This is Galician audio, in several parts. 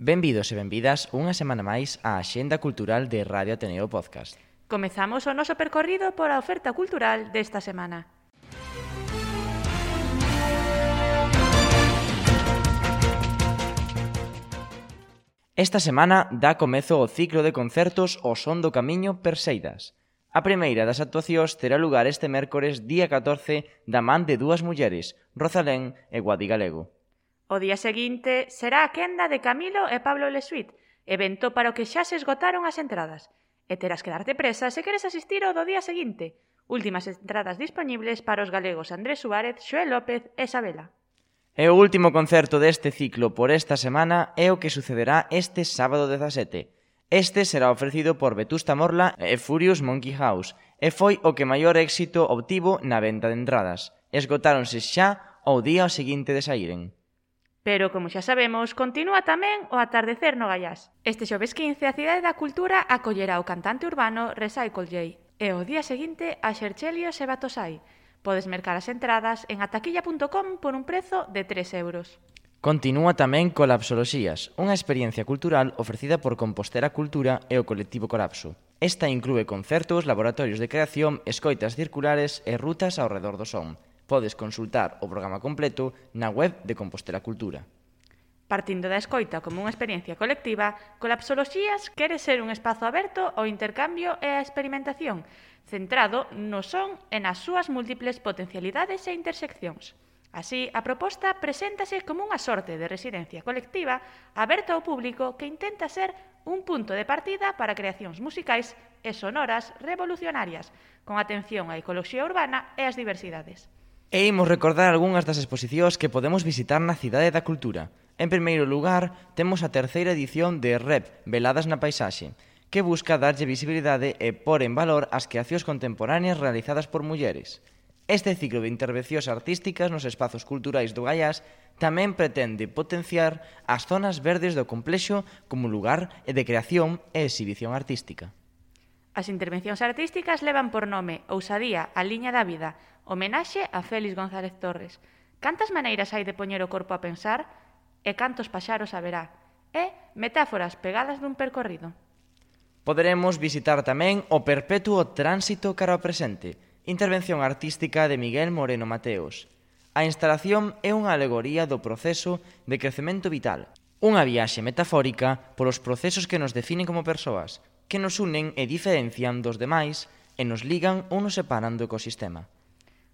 Benvidos e benvidas unha semana máis á Axenda Cultural de Radio Ateneo Podcast. Comezamos o noso percorrido pola oferta cultural desta semana. Esta semana dá comezo o ciclo de concertos O Son do Camiño Perseidas. A primeira das actuacións terá lugar este mércores día 14 da man de dúas mulleres, Rosalén e Guadi Galego. O día seguinte será a quenda de Camilo e Pablo Lesuit, evento para o que xa se esgotaron as entradas. E terás que darte presa se queres asistir ao do día seguinte. Últimas entradas dispoñibles para os galegos Andrés Suárez, Xoel López e Sabela. E o último concerto deste ciclo por esta semana é o que sucederá este sábado 17. Este será ofrecido por Vetusta Morla e Furious Monkey House e foi o que maior éxito obtivo na venta de entradas. Esgotáronse xa ao día seguinte de sairen. Pero, como xa sabemos, continúa tamén o atardecer no Gaiás. Este xoves 15, a Cidade da Cultura acollerá o cantante urbano Recycle J e o día seguinte a Xerxelio e Batosai. Podes mercar as entradas en ataquilla.com por un prezo de 3 euros. Continúa tamén Colapsoloxías, unha experiencia cultural ofrecida por Compostela Cultura e o colectivo Colapso. Esta inclúe concertos, laboratorios de creación, escoitas circulares e rutas ao redor do son. Podes consultar o programa completo na web de Compostela Cultura. Partindo da escoita como unha experiencia colectiva, Colapsoloxías quere ser un espazo aberto ao intercambio e á experimentación, centrado no son e nas súas múltiples potencialidades e interseccións. Así, a proposta preséntase como unha sorte de residencia colectiva aberta ao público que intenta ser un punto de partida para creacións musicais e sonoras revolucionarias, con atención á ecoloxía urbana e ás diversidades. E imos recordar algunhas das exposicións que podemos visitar na Cidade da Cultura. En primeiro lugar, temos a terceira edición de REP, Veladas na Paisaxe, que busca darlle visibilidade e pôr en valor as creacións contemporáneas realizadas por mulleres. Este ciclo de intervencións artísticas nos espazos culturais do Gaiás tamén pretende potenciar as zonas verdes do complexo como lugar de creación e exhibición artística. As intervencións artísticas levan por nome Ousadía, a liña da vida, homenaxe a Félix González Torres. Cantas maneiras hai de poñer o corpo a pensar e cantos paxaros haberá? E metáforas pegadas dun percorrido. Poderemos visitar tamén o perpetuo tránsito cara ao presente, intervención artística de Miguel Moreno Mateos. A instalación é unha alegoría do proceso de crecemento vital, unha viaxe metafórica polos procesos que nos definen como persoas, que nos unen e diferencian dos demais e nos ligan ou nos separan do ecosistema.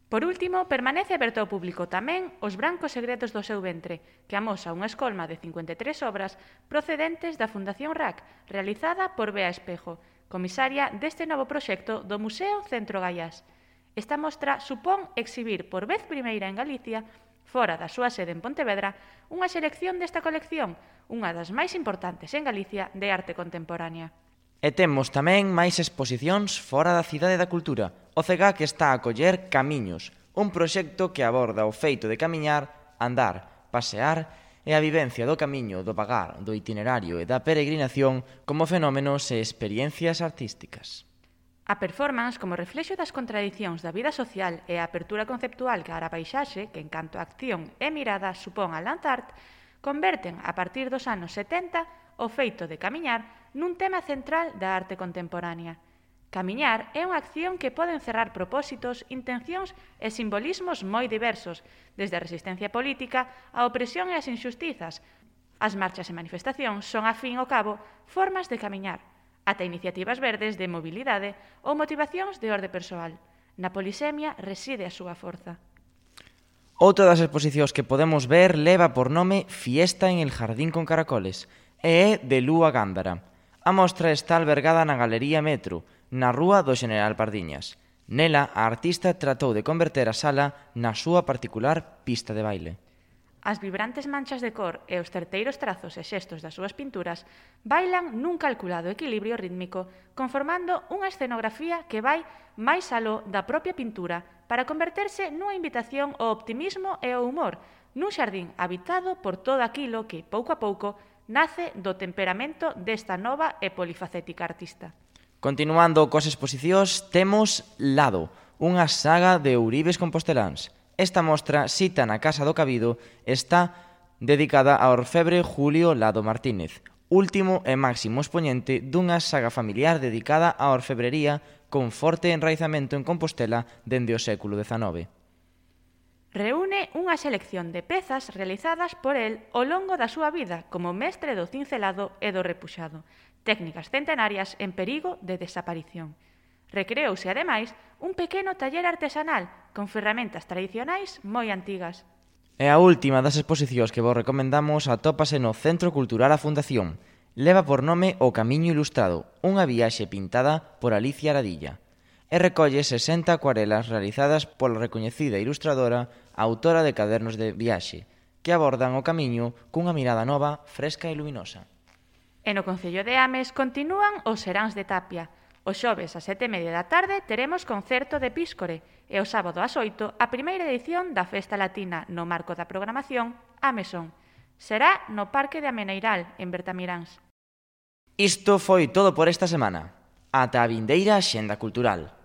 Por último, permanece aberto ao público tamén Os brancos segredos do seu ventre, que amosa unha escolma de 53 obras procedentes da Fundación RAC, realizada por Bea Espejo, comisaria deste novo proxecto do Museo Centro Gaiás. Esta mostra supón exhibir por vez primeira en Galicia, fora da súa sede en Pontevedra, unha selección desta colección, unha das máis importantes en Galicia de arte contemporánea. E temos tamén máis exposicións fora da Cidade da Cultura. O CEGAC está a acoller Camiños, un proxecto que aborda o feito de camiñar, andar, pasear e a vivencia do camiño, do vagar, do itinerario e da peregrinación como fenómenos e experiencias artísticas. A performance, como reflexo das contradicións da vida social e a apertura conceptual cara a paisaxe, que en canto a acción e mirada supón a land art, converten, a partir dos anos 70, o feito de camiñar nun tema central da arte contemporánea. Camiñar é unha acción que pode encerrar propósitos, intencións e simbolismos moi diversos, desde a resistencia política á opresión e as injustizas. As marchas e manifestacións son, a fin ao cabo, formas de camiñar, ata iniciativas verdes de mobilidade ou motivacións de orde persoal. Na polisemia reside a súa forza. Outra das exposicións que podemos ver leva por nome Fiesta en el Jardín con Caracoles e é de Lúa Gándara. A mostra está albergada na Galería Metro, na rúa do General Pardiñas. Nela, a artista tratou de converter a sala na súa particular pista de baile. As vibrantes manchas de cor e os certeiros trazos e xestos das súas pinturas bailan nun calculado equilibrio rítmico, conformando unha escenografía que vai máis aló da propia pintura para converterse nunha invitación ao optimismo e ao humor, nun xardín habitado por todo aquilo que, pouco a pouco, nace do temperamento desta nova e polifacética artista. Continuando coas exposicións, temos Lado, unha saga de ouribes composteláns. Esta mostra, cita na Casa do Cabido, está dedicada ao orfebre Julio Lado Martínez, último e máximo expoñente dunha saga familiar dedicada á orfebrería con forte enraizamento en Compostela dende o século XIX. Reúne unha selección de pezas realizadas por el ao longo da súa vida como mestre do cincelado e do repuxado, técnicas centenarias en perigo de desaparición. Recreouse, ademais, un pequeno taller artesanal con ferramentas tradicionais moi antigas. E a última das exposicións que vos recomendamos atópase no Centro Cultural A Fundación. Leva por nome O Camiño Ilustrado, unha viaxe pintada por Alicia Aradilla, e recolle 60 acuarelas realizadas pola recoñecida ilustradora, autora de cadernos de viaxe, que abordan o camiño cunha mirada nova, fresca e luminosa. E no Concello de Ames continúan os seráns de Tapia. O xoves ás 7:30 da tarde teremos concerto de Píscore e o sábado ás 8 a primeira edición da Festa Latina no marco da programación Amesón. Será no Parque de Ameneiral, en Bertamiráns. Isto foi todo por esta semana. Ata a vindeira Axenda Cultural.